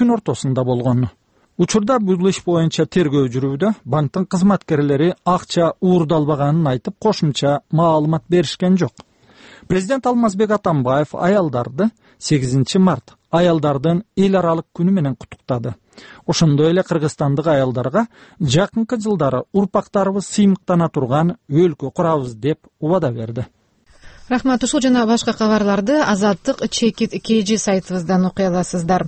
түн ортосунда болгон. Учурда бул иш боюнча тергөө жүрүүдө. Банктын кызматкерлери акча уурдалбаганын айтып, кошумча маалымат беришкен жок. Президент Алмазбек Атамбаев аялдарды 8 март аялдардын эл аралык күнү менен куттуктады. Ошондой эле кыргызстандык аялдарга жакынкы жылдары урпактарыбыз сыймыктана турган өлкө курабыз деп убада берди. Рахмат. Ушул жана башка кабарларды Азаттык Чекит KG сайтыбыздан окуй аласыздар.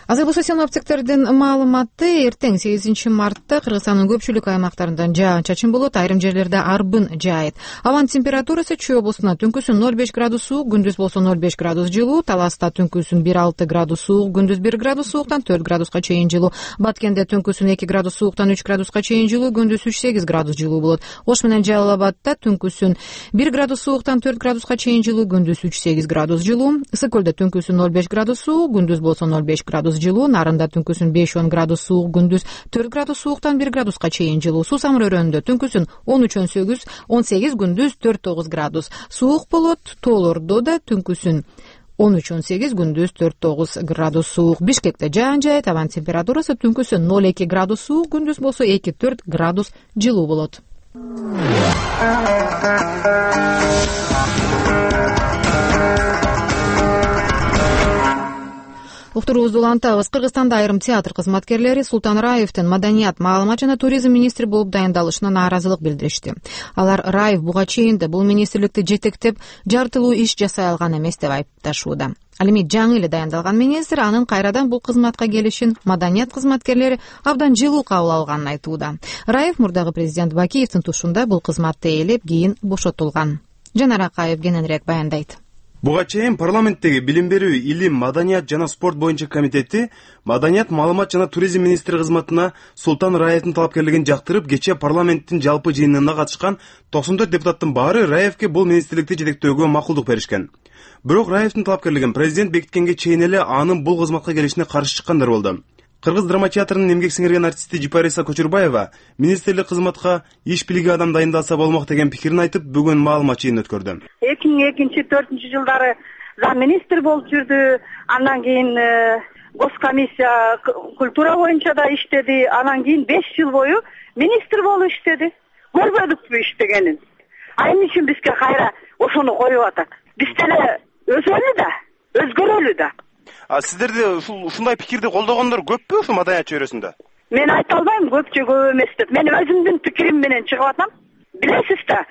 Азыр болсо синоптиктердин маалыматы эртең 8 мартта Кыргызстандын көпчүлүк аймактарында жаан-чачын болот, айрым жерлерде арбын жаайт. Абанын температурасы Чүй облусунда түнкүсүн 0,5 градус суук, күндүз болсо 0,5 градус жылуу, Таласта түнкүсүн 1,6 градус суук, күндүз 1 градус сууктан 4 градуска чейин жылуу, Баткенде түнкүсүн 2 градус сууктан 3 градуска чейин жылуу, күндүз 3-8 градус жылуу болот. Ош менен Жалал Абадта түнкүсүн 1 градус сууктан 4 градуска чейин жылуу, күндүз 3-8 градус жылуу, Ысык көлдө түнкүсүн 0,5 градус суук, күндүз болсо 0,5 градус жылуу, Нарында түнкүсүн 5-10 градус суук, күндүз 4 градус сууктан 1 градуска чейин жылуу, Суу Самыр өрөөнүндө түнкүсүн 13-18, күндүз 4-9 градус суук болот. Тоолордо да түнкүсүн 13-18, күндүз 4-9 градус суук. Бишкекте жаан жаайт, абанын температурасы түнкүсүн 0,2 градус суук, күндүз болсо 2-4 градус жылуу болот. Уктуруубузду улантабыз. Кыргызстанда айрым театр кызматкерлери Султан Раевдин маданият, маалымат жана туризм министри болуп дайындалышына нааразылык билдиришти. Алар Раев буга чейин бул министрликти жетектеп, жартылуу иш жасай алган эмес деп айыпташууда. Ал эми жаңы эле дайындалган министр анын кайрадан бул кызматка келишин маданият кызматкерлери абдан жылуу кабыл алганын айтууда. Раев мурдагы президент Бакиевдин тушунда бул кызматты ээлеп, кийин бошотулган. Жанар Акаев кененирээк баяндайт. Буга чейин парламенттеги билим берүү, илим, маданият жана спорт боюнча комитети маданият, маалымат жана туризм министри кызматына Султан Раевдин талапкерлигин жактырып, кечээ парламенттин жалпы жыйынына катышкан 94 депутаттын баары Раевке бул министрликти жетектөөгө макулдук беришкен. Бирок Раевдин талапкерлигин президент бекиткенге чейин эле анын бул кызматка келишине каршы чыккандар болду. Кыргыз драма театрынын эмгек сиңирген артисти Жипариса Көчүрбаева министрлик кызматка иш билиги адам дайындалса болмок деген пикирин айтып, бүгүн маалымат жыйынын өткөрдү. 2002-2004 жылдары зам министр болуп жүрдү. Андан кийин госкомиссия культура боюнча да иштеди. Андан кийин 5 жыл бою министр болуп иштеди. Көрбөдүкпү иштегенин. Эмне үчүн бизге кайра ошону коюп атат? Биз деле өзөлү да, өзгөрөлү да. Сиздерди ушундай пикирди колдогондор көппү ушу маданият чөйрөсүндө? Мен айта албайм көп же көп эмес деп. Мен өзүмдүн пикирим менен чыгып атам. Билесиз да,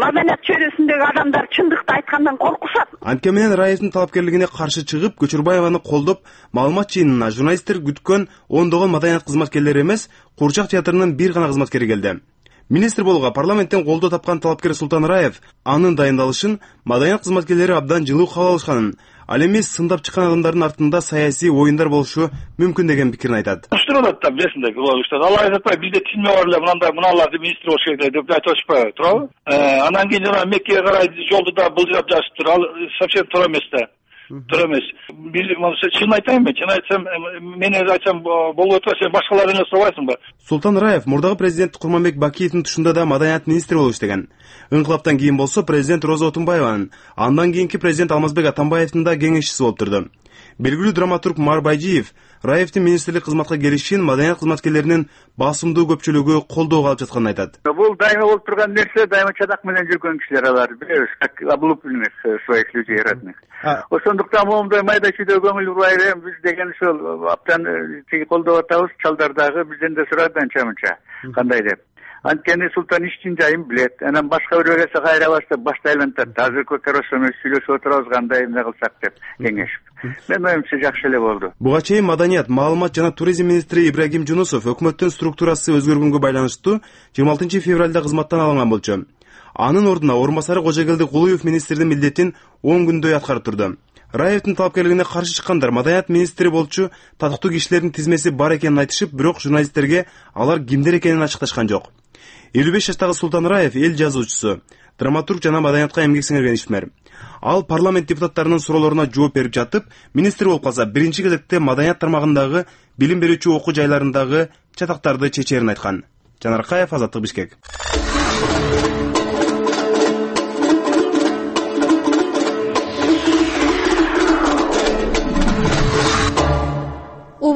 маданият чөйрөсүндөгү адамдар чындыкты айткандан коркушат. Анткени менен Раевдин талапкерлигине каршы чыгып, Көчүрбаеваны колдоп, маалымат жыйынына журналисттер күткөн ондогон маданият кызматкерлери эмес, Куурчак театрынын бир гана кызматкери келди. Министр болууга парламенттен колдоо тапкан талапкер Султан Раев анын дайындалышын маданият кызматкерлери абдан жылуу кабыл алышканын, ал эми сындап чыккан адамдардын артында саясий оюндар болушу мүмкүн деген пикирин айтат. Уштурулат да, билесиңер, алар айтпай бизде тилме бар эле, мыналарды министр болуш керек деп айтып атышпайбы, туурабы? Андан кийин жана Меккеге карай жолду да былжырап жазыптыр. Ал совсем туура эмес да. Туура эмес. Биз чын айтайынбы? Чын айтсам, мен айтсам болуп атса, сен башкалардан эле сурабайсыңбы? Султан Раев мурдагы президент Курманбек Бакиевдин тушунда да маданият министри болуп иштеген. Ыңкылаптан кийин болсо президент Роза Отунбаеванын, андан кийинки президент Алмазбек Атамбаевдин да кеңешчиси болуп турду. Белгилүү драматург Мар Байжиев Раевдин министрлик кызматка келишин маданият кызматкерлеринин басымдуу көпчүлүгү колдоого алып жатканын айтат. Бул дайыма болуп турган нерсе, дайыма чадак менен жүргөн кишилер алар, билебиз, как облупленных своих людей родных. Ошондуктан моундай майда чүйдө көңүл бурбай берем, биз деген ушул аптан тиги колдоп атабыз, чалдар дагы бизден да сурады анча-мынча, кандай деп. Анткени Султан иштин жайын билет. Анан башка бирөө келсе кайра баштап башты айлантат. Азыркы коросону сүйлөшүп отурабыз, кандай эмне кылсак деп кеңешип. Мен оюмча жакшы эле болду. Буга чейин маданият, маалымат жана туризм министри Ибрагим Жунусов өкмөттүн структурасы өзгөргөнгө байланыштуу 26 февралда кызматтан алынган болчу. Анын ордуна орун басары Кожогелди Кулуев министрдин милдетин 10 күндөй аткарып турду. Раевдин талапкерлигине каршы чыккандар маданият министри болчу татыктуу кишилердин тизмеси бар экенин айтышып, бирок журналисттерге алар кимдер экенин ачыкташкан жок. 55 жаштагы Султан Раев эл жазуучусу, драматург жана маданиятка эмгек сиңирген ишмер. Ал парламент депутаттарынын суроолоруна жооп берип жатып, министр болуп калса, биринчи кезекте маданият тармагындагы билим берүүчү окуу жайларындагы чатактарды чечерин айткан. Жанар Акаев, Азаттык, Бишкек.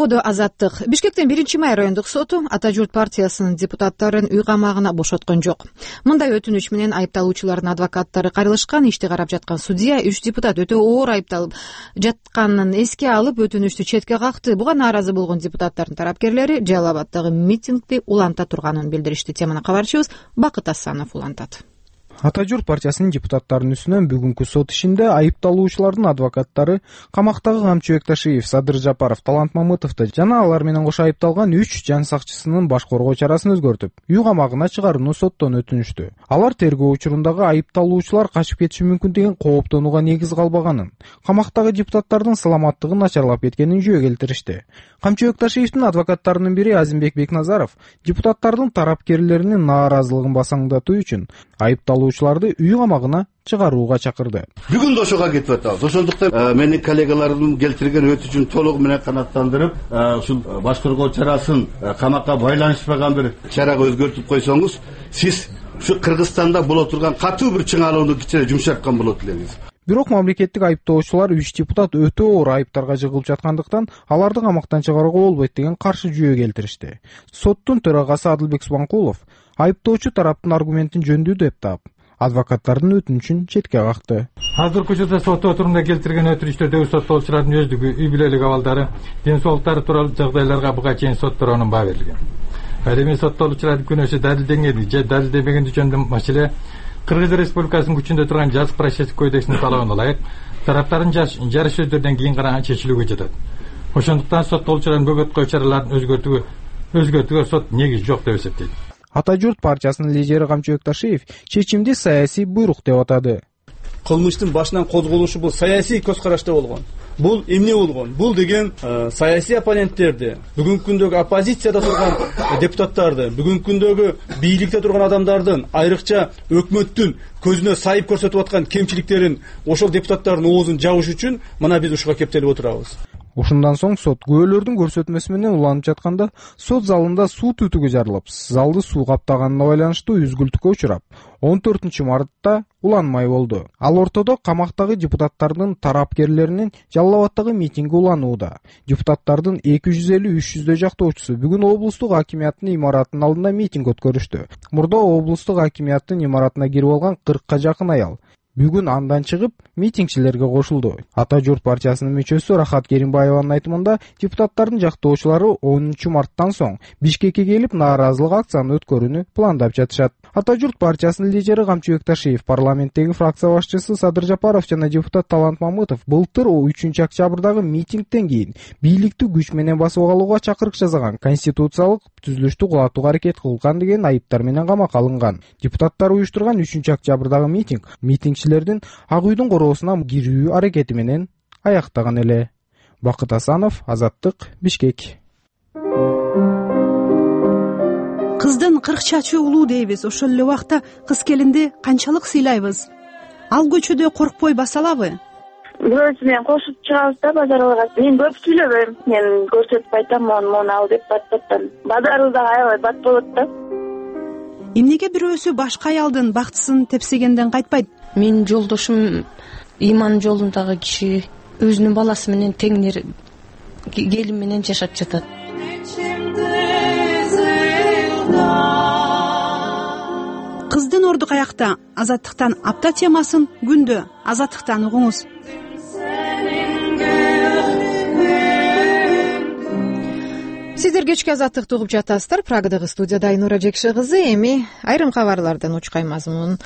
Дободо Азаттык. Бишкектин 1-май райондук соту Ата журт партиясынын депутаттарын үй камагына бошоткон жок. Мындай өтүнүч менен айыпталуучулардын адвокаттары кайрылышкан. Ишти карап жаткан судья 3 депутат өтө оор айыпталып жатканын эске алып өтүнүчтү четке какты. Буга нааразы болгон депутаттардын тарапкерлери Жалал Абаддагы митингди уланта турганын билдиришти. Теманы кабарчыбыз Бакыт Асанов улантат. Ата журт партиясынын депутаттарынын үстүнөн бүгүнкү сот ишинде айыпталуучулардын адвокаттары камактагы Камчыбек Ташиев, Садыр Жапаров, Талант Мамытовду жана алар менен кошо айыпталган 3 жан сакчысынын баш коргоо чарасын өзгөртүп, үй камагына чыгарууну соттон өтүнүштү. Алар тергөө учурундагы айыпталуучулар качып кетиши мүмкүн деген кооптонууга негиз калбаганын, камактагы депутаттардын саламаттыгы начарлап кеткенин жөө келтиришти. Камчыбек Ташиевдин адвокаттарынын бири Азимбек Бекназаров депутаттардын тарапкерлеринин нааразылыгын басаңдатуу үчүн айыпталуучуларды үй камагына чыгарууга чакырды. Бүгүн да ошого кетип атабыз. Ошондуктан менин коллегаларым келтирген өтүнүчүн толугу менен канааттандырып, ушул баш коргоо чарасын камакка байланышпаган бир чарага өзгөртүп койсоңуз, сиз ушу Кыргызстанда боло турган катуу бир чыңалууну кичине жумшарткан болот элеңиз. Бирок мамлекеттик айыптоочулар 3 депутат өтө оор айыптарга жыгылып жаткандыктан аларды камактан чыгарууга болбойт деген каршы жүйө келтиришти. Соттун төрагасы Адылбек Субанкулов айыптоочу тараптын аргументин жөндүү деп таап, адвокаттардын өтүнүчүн четке какты. Азыркы учурда сот отурумда келтирген өтүнүчтөрдөгү соттолуучулардын өздүгү, үй бүлөлүк абалдары, ден соолуктары тууралуу жагдайларга буга чейин сот туруунун баа берилген. Ал эми соттолуучулардын күнөөсү далилденгени же далилденбегени жөнүндө маселе Кыргыз Республикасынын күчүндө турган жазык процесстик кодексинин талабына ылайык тараптардын жарыш сөздөрдөн кийин гана чечилүүгө жатат. Ошондуктан соттолуучулардын бөгөт кылуу чараларын өзгөртүүгө сот негиз жок деп эсептейт. Ата журт партиясынын лидери Камчыбек Ташиев чечимди саясий буйрук деп атады. Кылмыштын башынан козголушу бул саясий көз карашта болгон. Бул эмне болгон? Бул деген саясий оппоненттерди, бүгүнкү күндөгү оппозицияда турган депутаттарды, бүгүнкү күндөгү бийликте турган адамдардын, айрыкча өкмөттүн көзүнө сайып көрсөтүп аткан кемчиликтерин ошол депутаттардын оозун жабыш үчүн мына биз ушуга кептелип отурабыз. Ушундан соң сот күбөлөрдүн көрсөтмөсү менен уланып жатканда сот залында суу түтүгү жарылып, залды суу каптаганына байланыштуу үзгүлтүккө учурап, 14 мартта уланмай болду. Ал ортодо камактагы депутаттардын тарапкерлеринин Жалал Абаддагы митинги уланууда. Депутаттардын 250-300 жактоочусу бүгүн облустук акимияттын имаратынын алдында митинг өткөрүштү. Мурда облустук акимияттын имаратына кирип алган 40ка жакын аял бүгүн андан чыгып митингчилерге кошулду. Ата журт партиясынын мүчөсү Рахат Керимбаеванын айтымында депутаттардын жактоочулары 10 марттан соң Бишкекке келип нааразылык акциясын өткөрүүнү пландап жатышат. Ата журт партиясынын лидери Камчыбек Ташиев, парламенттеги фракция башчысы Садыр Жапаров жана депутат Талант Мамытов былтыр 3 октябрдагы митингден кийин бийликти күч менен басып алууга чакырык жасаган конституциялык түзүлүштү кулатууга аракет кылган деген айыптар менен камакка алынган. Депутаттар уюштурган 3 октябрдагы митингчилердин Ак үйдүн короосуна кирүү аракети менен аяктаган эле. Бакыт Асанов, Азаттык, Бишкек. Кыздын 40 чачы улуу дейбиз. Ошол эле убакта кыз келинди канчалык сыйлайбыз? Ал көчөдө коркпой баса алабы? Бирөөсү менен кошуп чыгабыз да базарга. Мен көп сүйлөбөйм. Мен көрсөтүп айтам, мону ал деп баттан. Базарда аябай бат болот да. Эмнеге бирөөсү башка аялдын бактысын тепсегенден кайтпайт? Менин жолдошум иман жолундагы киши өзүнүн баласы менен теңнер келин менен жашап жатат. Кыздын орду каякта? Азаттыктан апта темасын күндө Азаттыктан угуңуз. Сиздер кечки Азаттыкты угуп жатасыздар. Прагадагы студияда Айнура Жекши кызы. Эми айрым кабарлардан учкай мазмун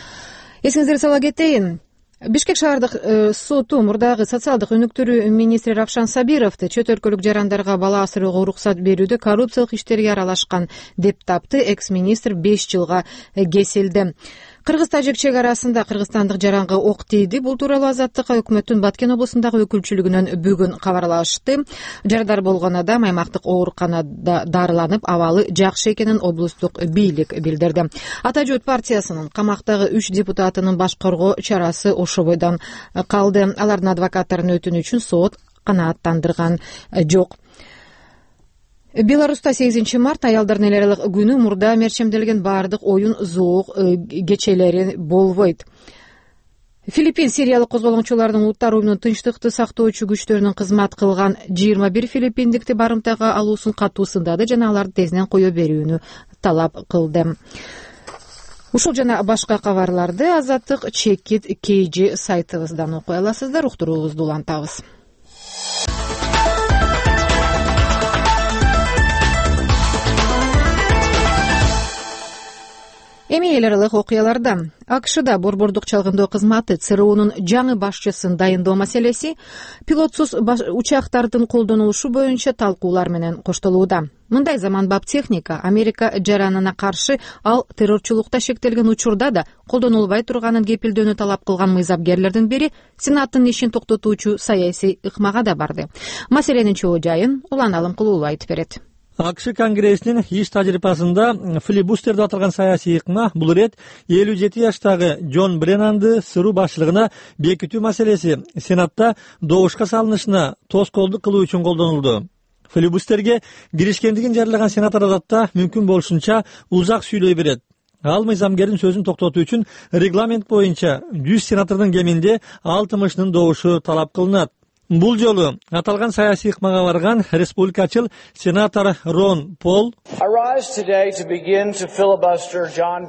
эсиңиздерге сала кетейин. Бишкек шаардык соту мурдагы социалдык өнүктүрүү министри Равшан Сабировду чет өлкөлүк жарандарга бала асырууга уруксат берүүдө коррупциялык иштерге аралашкан деп тапты. Экс-министр 5 жылга кесилди. Кыргыз-тажик чек арасында кыргызстандык жаранга ок тийди. Бул тууралуу Азаттыкка өкмөттүн Баткен облусундагы өкүлчүлүгүнөн бүгүн кабарлашты. Жарадар болгон адам аймактык ооруканада дарыланып, абалы жакшы экенин облустук бийлик билдирди. Ата журт партиясынын камактагы 3 депутатынын баш коргоо чарасы ошо бойдон калды. Алардын адвокаттарынын өтүнүчүн сот канааттандырган жок. Беларуста 8 март аялдардын эл аралык күнү мурда мерчемделген баардык оюн зоок кечелери болбойт. Филиппин сириялык козголоңчулардын улуттар уюмунун тынчтыкты сактоочу күчтөрүнүн кызмат кылган 21 филиппиндикти барымтага алуусун катуу сындады жана аларды тезинен кое берүүнү талап кылды. Ушул жана башка кабарларды Азаттык чекит KG сайтыбыздан окуй аласыздар. Уктуруубузду улантабыз. Эми эл аралык окуяларда АКШда борбордук чалгындоо кызматы ЦРУнун жаңы башчысын дайындоо маселеси пилотсуз учактардын колдонулушу боюнча талкуулар менен коштолууда. Мындай заманбап техника Америка жаранына каршы ал террорчулукта шектелген учурда да колдонулбай турганын кепилдөөнү талап кылган мыйзапкерлердин бири Сенаттын ишин токтотуучу саясий ыкмага да барды. Маселенин чоо жайын Улан Алымкулуулу айтып берет. АКШ Конгрессинин иш тажрыйбасында филибустер деп аталган саясий ыкма бул ирет 57 жаштагы Джон Бреннанды СРУ башчылыгына бекитүү маселеси Сенатта добушка салынышына тоскоолдук кылуу үчүн колдонулду. Филибустерге киришкендигин жарыяган сенатор адатта мүмкүн болушунча узак сүйлөй берет. Ал мыйзамгердин сөзүн токтотуу үчүн регламент боюнча 100 сенатордун кеминде 60-ынын добушу талап кылынат. Бул жолу аталган саясий ыкмага барган республикачыл сенатор Рон Пол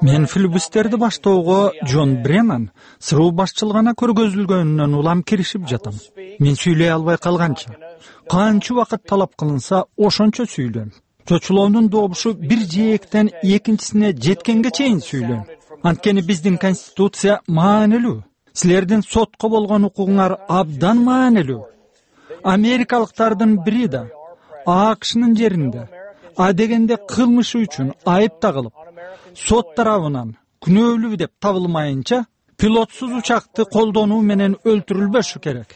мен филибустерди баштоого Джон Бреннан СРУ башчылыгына көргөзүлгөнүнөн улам киришип жатам. Мен сүйлөй албай калганча канча убакыт талап кылынса ошончо сүйлөйм. Чочулоонун добушу бир жээктен экинчисине жеткенге чейин сүйлөйм. Анткени биздин конституция маанилүү. Силердин сотко болгон укугуңар абдан маанилүү. Америкалыктардын бири да АКШнын жеринде адегенде кылмышы үчүн айып тагылып, сот тарабынан күнөөлүү деп табылмайынча пилотсуз учакты колдонуу менен өлтүрүлбөшү керек.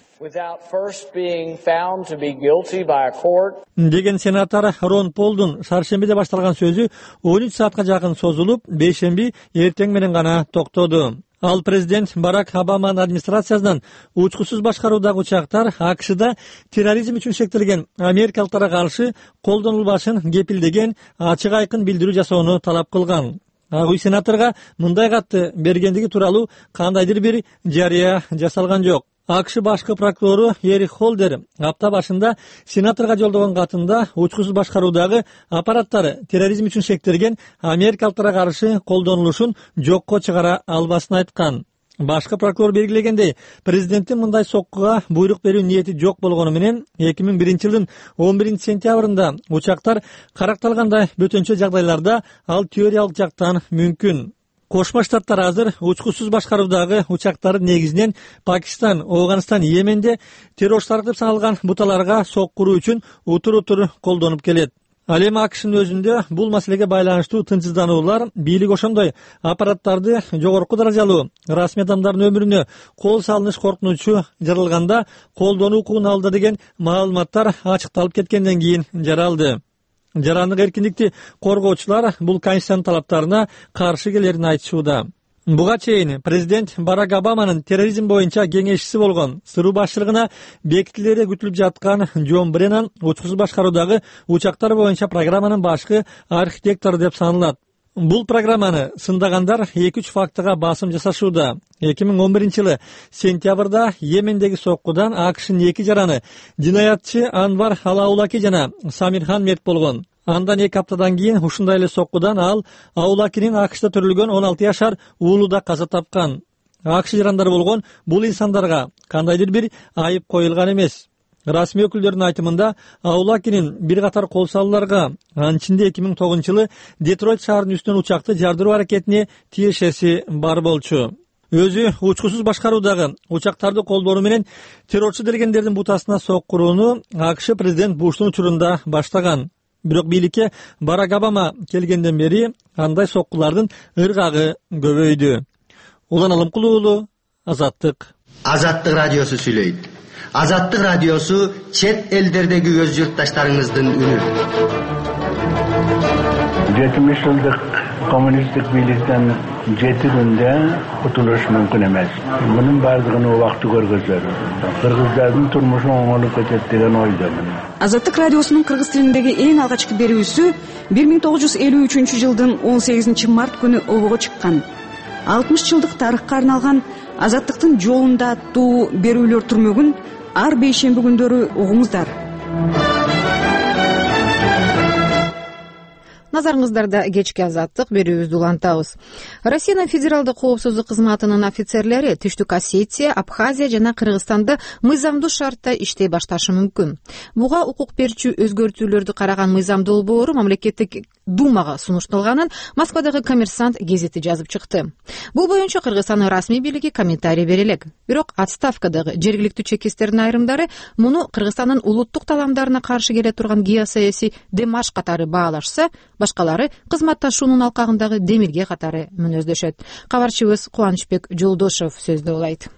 Деген сенатор Рон Полдун шаршембиде башталган сөзү 13 саатка жакын созулуп, бейшемби эртең менен гана токтоду. Ал президент Барак Обаманын администрациясынан учкусуз башкаруудагы учактар АКШда терроризм үчүн шектелген америкалыктарга каршы колдонулбашын кепилдеген ачык айкын билдирүү жасоону талап кылган. Ак үй сенаторго мындай катты бергендиги тууралуу кандайдыр бир жарыя жасалган жок. АКШ башкы прокурору Эрик Холдер апта башында сенаторго жолдогон катында учкусуз башкаруудагы аппараттары терроризм үчүн шектелген америкалыктарга каршы колдонулушун жокко чыгара албасын айткан. Башкы прокурор белгилегендей, президенттин мындай соккуга буйрук берүү ниети жок болгону менен 2001-жылдын 11-сентябрында учактар каракталгандай бөтөнчө жагдайларда ал теориялык жактан мүмкүн. Кошмо Штаттар азыр учкусуз башкаруудагы учактарды негизинен Пакистан, Афганистан, Йеменде террорчулар деп саналган буталарга соккуруу үчүн утур-утур колдонуп келет. Ал эми АКШнын өзүндө бул маселеге байланыштуу тынчсыздануулар бийлик ошондой аппараттарды жогорку даражалуу расмий адамдардын өмүрүнө кол салыныш коркунучу жаралганда колдонуу укугун алды деген маалыматтар ачыкталып кеткенден кийин жаралды. Жарандык эркиндикти коргоочулар бул конституциянын талаптарына каршы келерин айтышууда. Буга чейин президент Барак Обаманын терроризм боюнча кеңешчиси болгон СРУ башчылыгына бекитилери күтүлүп жаткан Джон Бреннан учкусуз башкаруудагы учактар боюнча программанын башкы архитектору деп саналат. Бул программаны сындагандар 2-3 фактыга басым жасашууда. 2011-жылы сентябрда Йемендеги соккудан АКШнын 2 жараны жинаятчы Анвар Алаулаки жана Самирхан мерт болгон. Андан 2 аптадан кийин ушундай эле соккудан ал Аулакинин АКШда төрөлгөн 16 жашар уулу да каза тапкан. АКШ жарандары болгон бул инсандарга кандайдыр бир айып коюлган эмес. Расмий өкүлдөрдүн айтымында Аулакинин бир катар кол салууларга, анын ичинде 2009-жылы Детройт шаарынын үстүнөн учакты жардыруу аракетине тиешеси бар болчу. Өзү учкусуз башкаруудагы учактарды колдонуу менен террорчу делгендердин бутасына соккурууну АКШ президент Буштун учурунда баштаган. Бирок бийликке Барак Обама келгенден бери андай соккулардын ыргагы көбөйдү. Улан Алымкулуулу, Азаттык. Азаттык радиосу сүйлөйт. Азаттык радиосу чет элдердеги өз журтташтарыңыздын үнү. 70 жылдык коммунисттик бийликтен 7 күндө кутулуш мүмкүн эмес. Мунун бардыгын убакыты көргөзөр. Кыргыздардын турмушу оңолуп кетет деген ойдомун. Азаттык радиосунун кыргыз тилиндеги эң алгачкы берүүсү 1953 жылдын 18 март күнү обого чыккан. 60 жылдык тарыхка арналган Азаттыктын жолунда аттуу берүүлөр түрмөгүн ар бейшемби күндөрү угуңуздар. Назарыңыздарда кечки Азаттык берүүбүздү улантабыз. Россиянын федералдык коопсуздук кызматынын офицерлери Түштүк Осетия, Абхазия жана Кыргызстанда мыйзамдуу шартта иштей башташы мүмкүн. Буга укук берчү өзгөртүүлөрдү караган мыйзам долбоору мамлекеттик Думага сунушталганын Москвадагы Коммерсант гезити жазып чыкты. Бул боюнча Кыргызстандын расмий бийлиги комментарий бере элек. Бирок отставкадагы жергиликтүү чекисттердин айрымдары муну Кыргызстандын улуттук таламдарына каршы келе турган геосаясий демарш катары баалашса, башкалары кызматташуунун алкагындагы демилге катары мүнөздөшөт. Кабарчыбыз Кубанычбек Жолдошов сөздө улайт.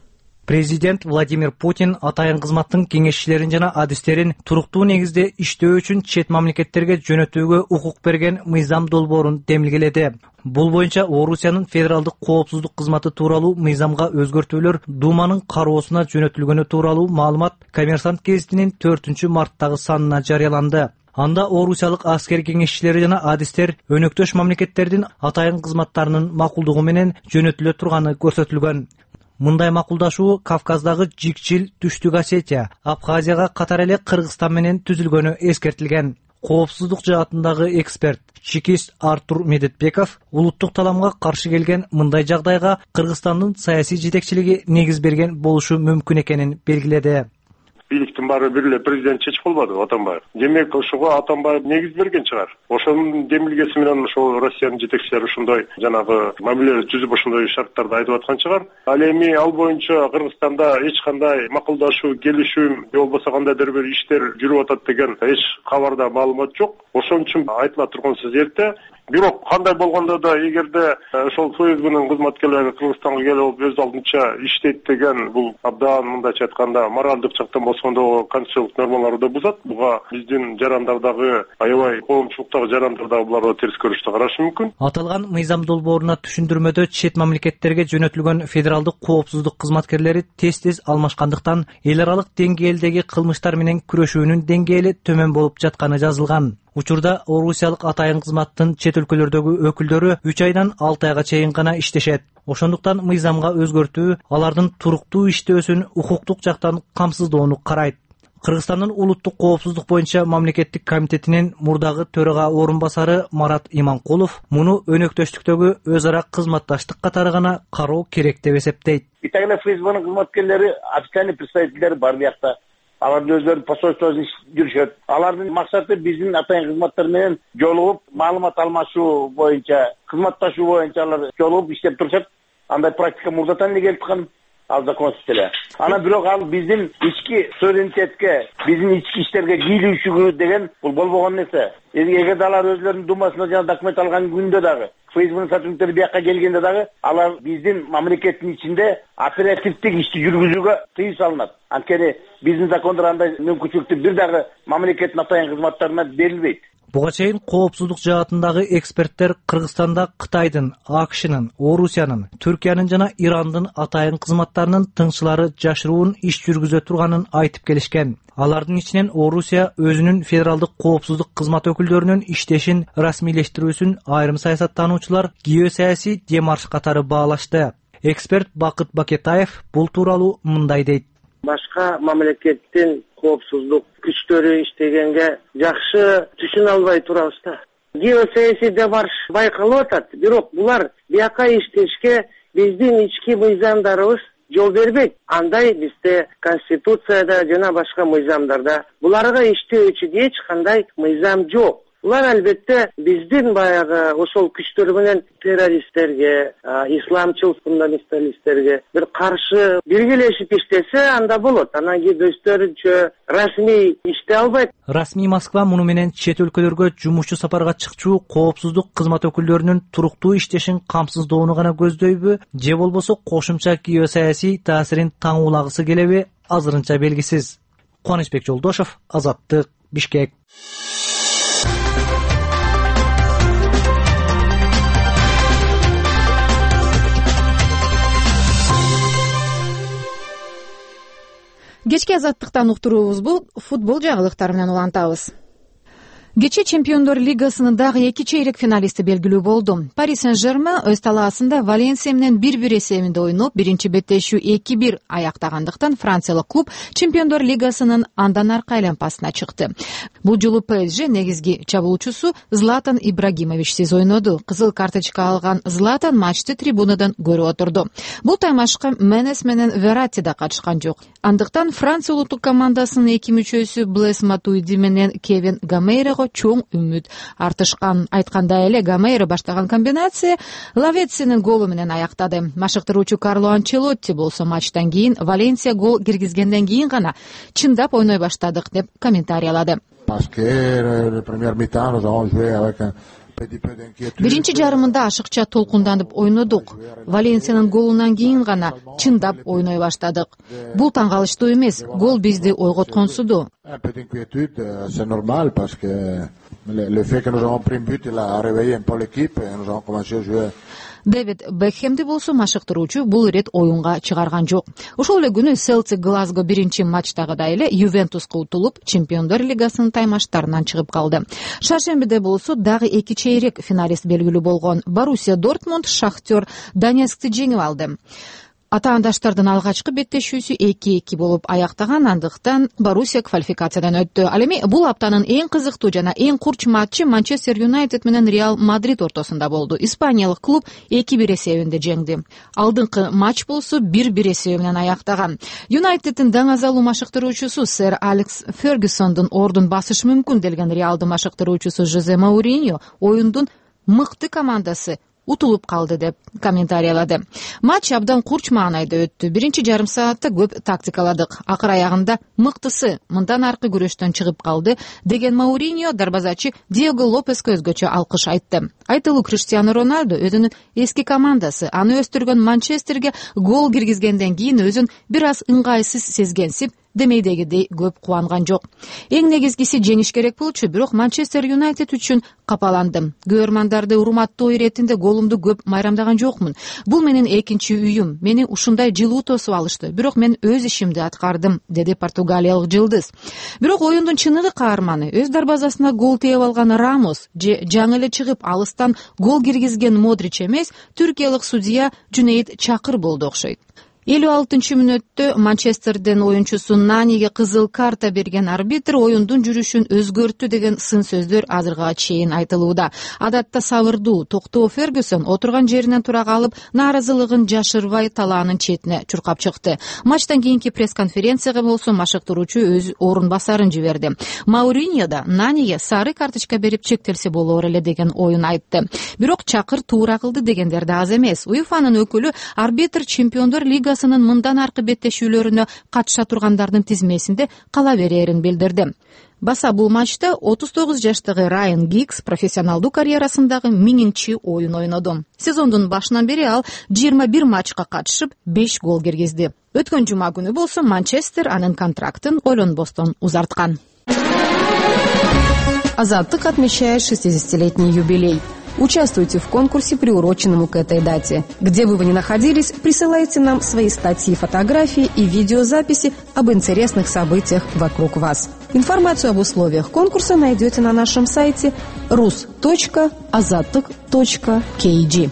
Президент Владимир Путин атайын кызматтын кеңешчилерин жана адистерин туруктуу негизде иштөө үчүн чет мамлекеттерге жөнөтүүгө укук берген мыйзам долбоорун демилгеледи. Бул боюнча Орусиянын федералдык коопсуздук кызматы тууралуу мыйзамга өзгөртүүлөр Думанын кароосуна жөнөтүлгөнү тууралуу маалымат Коммерсант гезитинин 4-марттагы санына жарыяланды. Анда орусиялык аскер кеңешчилери жана адистер өнөктөш мамлекеттердин атайын кызматтарынын макулдугу менен жөнөтүлө турганы көрсөтүлгөн. Мындай макулдашуу Кавказдагы Жикчил, Түштүк Осетия, Абхазияга катар эле Кыргызстан менен түзүлгөнү эскертилген. Коопсуздук жаатындагы эксперт чекист Артур Медетбеков улуттук таламга каршы келген мындай жагдайга Кыргызстандын саясий жетекчилиги негиз берген болушу мүмкүн экенин белгиледи. Бийликтин баары бир эле президент чечип калбады, Атамбаев. Демек ошого Атамбаев негиз берген чыгар. Ошонун демилгеси менен ошол Россиянын жетекчилери ушундай жанагы мамиле түзүп ошондой шарттарды айтып аткан чыгар. Ал эми ал боюнча Кыргызстанда эч кандай макулдашуу, келишүү же болбосо кандайдыр бир иштер жүрүп атат деген эч кабарда маалымат жок. Ошон үчүн айтыла турган сөз эрте. Бирок кандай болгондо да эгерде ошол ФСБнын кызматкерлери Кыргызстанга келип өз алдынча иштейт деген бул абдан мындайча айтканда моралдык жактан болсондо конституциялык нормаларды да бузат. Буга биздин жарандардагы аябай коомчулуктагы жарандар да буларга терс көрүштү карашы мүмкүн. Аталган мыйзам долбооруна түшүндүрмөдө чет мамлекеттерге жөнөтүлгөн федералдык коопсуздук кызматкерлери тез алмашкандыктан эл аралык деңгээлдеги кылмыштар менен күрөшүүнүн деңгээли төмөн болуп жатканы жазылган. Учурда орусиялык атайын кызматтын чет өлкөлөрдөгү өкүлдөрү 3 айдан 6 айга чейин гана иштешет. Ошондуктан мыйзамга өзгөртүү алардын туруктуу иштөөсүн укуктук жактан камсыздоону карайт. Кыргызстандын улуттук коопсуздук боюнча мамлекеттик комитетинин мурдагы төрага орун басары Марат Иманкулов муну өнөктөштүктөгү өз ара кызматташтык катары гана кароо керек деп эсептейт. Италия ФСБнын кызматкерлери официальный представительдер бар биякта. Алардын өздөрүнүн посольствосунда жүрүшөт. Алардын максаты биздин атайын кызматтар менен жолугуп, маалымат алмашуу боюнча, кызматташуу боюнча алар жолугуп иштеп турушат. Андай практика мурдатан эле келип аткан. Ал да конституция. Ана бирок ал биздин ички суверенитетке, биздин ички иштерге кийлүүчү деген бул болбогон нерсе. Эгерде алар өзлөрүнүн думасына жана документ алган күндө дагы, ФСБнын сотрудниктери бияка келгенде дагы алар биздин мамлекеттин ичинде оперативдик ишти жүргүзүүгө тыюу салынат. Анткени биздин закондор андай мүмкүнчүлүктү бир дагы мамлекеттин атайын кызматтарына берилбейт. Буга чейин коопсуздук жаатындагы эксперттер Кыргызстанда Кытайдын, АКШнын, Орусиянын, Түркиянын жана Ирандын атайын кызматтарынын тыңчылары жашыруун иш жүргүзө турганын айтып келишкен. Алардын ичинен Орусия өзүнүн федералдык коопсуздук кызмат өкүлдөрүнүн иштешин расмийлештирүүсүн айрым саясаттануучулар геосаясий демарш катары баалашты. Эксперт Бакыт Бакетаев бул тууралуу мындай дейт. Башка мамлекеттин коопсуздук күчтөрү иштегенге жакшы түшүнө албай турабыз да. Геосаясий демарш байкалып атат, бирок булар бияка иштешке биздин ички мыйзамдарыбыз жол бербейт. Андай бизде конституцияда жана башка мыйзамдарда буларга иштөөчү эч кандай мыйзам жок. Булар албетте биздин баягы ошол күчтөр менен террористтерге, исламчыл фундаменталисттерге бир каршы биргелешип иштесе анда болот. Анан кийин өздөрүнчө расмий иштей албайт. Расмий Москва муну менен чет өлкөлөргө жумушчу сапарга чыкчу коопсуздук кызмат өкүлдөрүнүн туруктуу иштешин камсыздоону гана көздөйбү, же болбосо кошумча геосаясий таасирин таңуулагысы келеби, азырынча белгисиз. Кубанычбек Жолдошов, Азаттык, Бишкек. Кечки Азаттыктан уктуруубузду футбол жагылыктары менен улантабыз. Кечээ Чемпиондор лигасынын дагы 2 чейрек финалисти белгилүү болду. Пари Сен-Жермен өз талаасында Валенсия менен 1-1 эсебинде ойноп, биринчи беттешүү 2-1 аяктагандыктан франциялык клуб Чемпиондор лигасынын андан аркы айланпасына чыкты. Бул жолу ПСЖ негизги чабуучусу Златан Ибрагимовичсиз ойноду. Кызыл карточка алган Златан матчты трибунадан көрүп отурду. Бул таймашка Менес менен Верати да катышкан жок. Андыктан Франция улуттук командасынын эки мүчөсү Блес Матуиди менен Кевин Гамейрого чоң үмүт артышкан. Айткандай эле Гамейро баштаган комбинация Лаветсинин голу менен аяктады. Машыктыруучу Карло Анчелотти болсо матчтан кийин Валенсия гол киргизгенден кийин гана чындап ойной баштадык деп комментариялады. Биринчи жарымында ашыкча толкунданып ойнодук. Валенсиянын голунан кийин гана чындап ойной баштадык. Бул таң калыштуу эмес, гол бизди ойготконсуду. Дэвид Бекхемди болсо машыктыруучу бул ирет оюнга чыгарган жок. Ошол эле күнү Селси Глазго биринчи матчтагыдай эле Ювентуска утулуп, Чемпиондор лигасынын таймаштарынан чыгып калды. Шаршембиде болсо дагы 2 чейрек финалист белгилүү болгон. Боруссия Дортмунд Шахтер Донецкти жеңип алды. Атаандаштардын алгачкы беттешүүсү 2-2 болуп аяктаган, андыктан Боруссия квалификациядан өттү. Ал эми бул аптанын эң кызыктуу жана эң курч матчы Манчестер Юнайтед менен Реал Мадрид ортосунда болду. Испаниялык клуб 2-1 эсебинде жеңди. Алдыңкы матч болсо 1-1 эсеби менен аяктаган. Юнайтеддин даңазалуу машыктыруучусу сэр Алекс Фергюсондун ордун басышы мүмкүн делген Реалдын машыктыруучусу Жозе Мауриньо оюндун мыкты командасы утулуп калды деп комментариялады. Матч абдан курч маанайда өттү. Биринчи жарым саатта көп тактикаладык. Акыр аягында мыктысы мындан аркы күрөштөн чыгып калды деген Мауриньо дарбазачы Диего Лопеске өзгөчө алкыш айтты. Айтылуу Криштиано Роналду өзүнүн эски командасы аны өстүргөн Манчестерге гол киргизгенден кийин өзүн бир аз ыңгайсыз сезгенсип, демейдегидей көп кубанган жок. Эң негизгиси жеңиш керек болчу, бирок Манчестер Юнайтед үчүн капаландым. Көрөрмандарды урматтоо иретинде голумду көп майрамдаган жокмун. Бул менин экинчи үйүм. Мени ушундай жылуу тосуп алышты. Бирок мен өз ишимди аткардым, деди португалиялык жылдыз. Бирок оюндун чыныгы каарманы өз дарбазасына гол тээп алган Рамос же жаңы эле чыгып алыстан гол киргизген Модрич эмес, түркиялык судья Жунейд Чакыр болду окшойт. 56-мүнөттө Манчестерден оюнчусу Наниге кызыл карта берген арбитр оюндун жүрүшүн өзгөрттү деген сын сөздөр азырга чейин айтылууда. Адатта сабырдуу, токтоо Фергюсон отурган жеринен тура калып, нааразылыгын жашырбай талаанын четине чуркап чыкты. Матчтан кийинки пресс-конференцияга болсо машыктыруучу өз орун басарын жиберди. Мауриньо да Наниге сары карточка берип чектелсе болор эле деген оюн айтты. Бирок Чакыр туура кылды дегендер да аз эмес. УЕФАнын өкүлү арбитр Чемпиондор лигасынын мындан аркы беттешүүлөрүнө катыша тургандардын тизмесинде кала берерин билдирди. Баса бул матчта 39 жаштагы Райан Гиггс профессионалдуу карьерасындагы 1000-чи оюн ойноду. Сезондун башынан бери ал 21 матчка катышып 5 гол киргизди. Өткөн жума күнү болсо Манчестер анын контрактын ойлонбостон узарткан. Азаттык отмечает 60-летний юбилей. Участвуйте в конкурсе, приуроченному к этой дате. Где бы вы ни находились, присылайте нам свои статьи, фотографии и видеозаписи об интересных событиях вокруг вас. Информацию об условиях конкурса найдете на нашем сайте rus.azattyk.kg.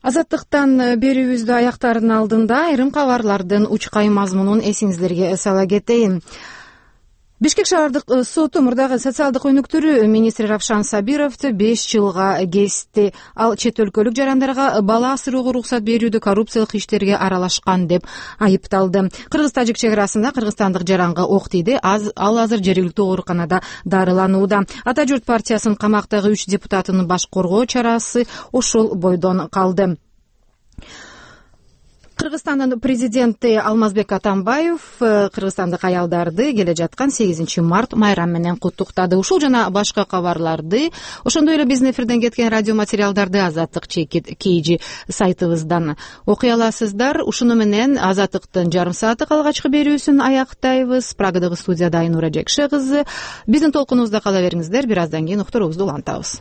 Азаттыктан берүүбүздү аяктаардын алдында айрым кабарлардын учкай мазмунун эсиңиздерге сала кетейин. Бишкек шаардык соту мурдагы социалдык өнүктүрүү министри Равшан Сабировду 5 жылга кести. Ал чет өлкөлүк жарандарга бала асырууга уруксат берүүдө коррупциялык иштерге аралашкан деп айыпталды. Кыргыз-тажик чек арасында кыргызстандык жаранга ок тийди. Ал азыр жергиликтүү ооруканада дарыланууда. Ата журт партиясынын камактагы 3 депутатынын баш коргоо чарасы ошол бойдон калды. Кыргызстандын президенти Алмазбек Атамбаев кыргызстандык аялдарды келе жаткан 8 март майрам менен куттуктады. Ушул жана башка кабарларды, ошондой эле биздин эфирден кеткен радио материалдарды Azattyk.kg сайтыбыздан окуй аласыздар. Ушуну менен Азаттыктын жарым сааттык алгачкы берүүсүн аяктайбыз. Прагадагы студияда Айнура Жекше кызы. Биздин толкунубузда кала бериңиздер. Бир аздан кийин уктуруубузду улантабыз.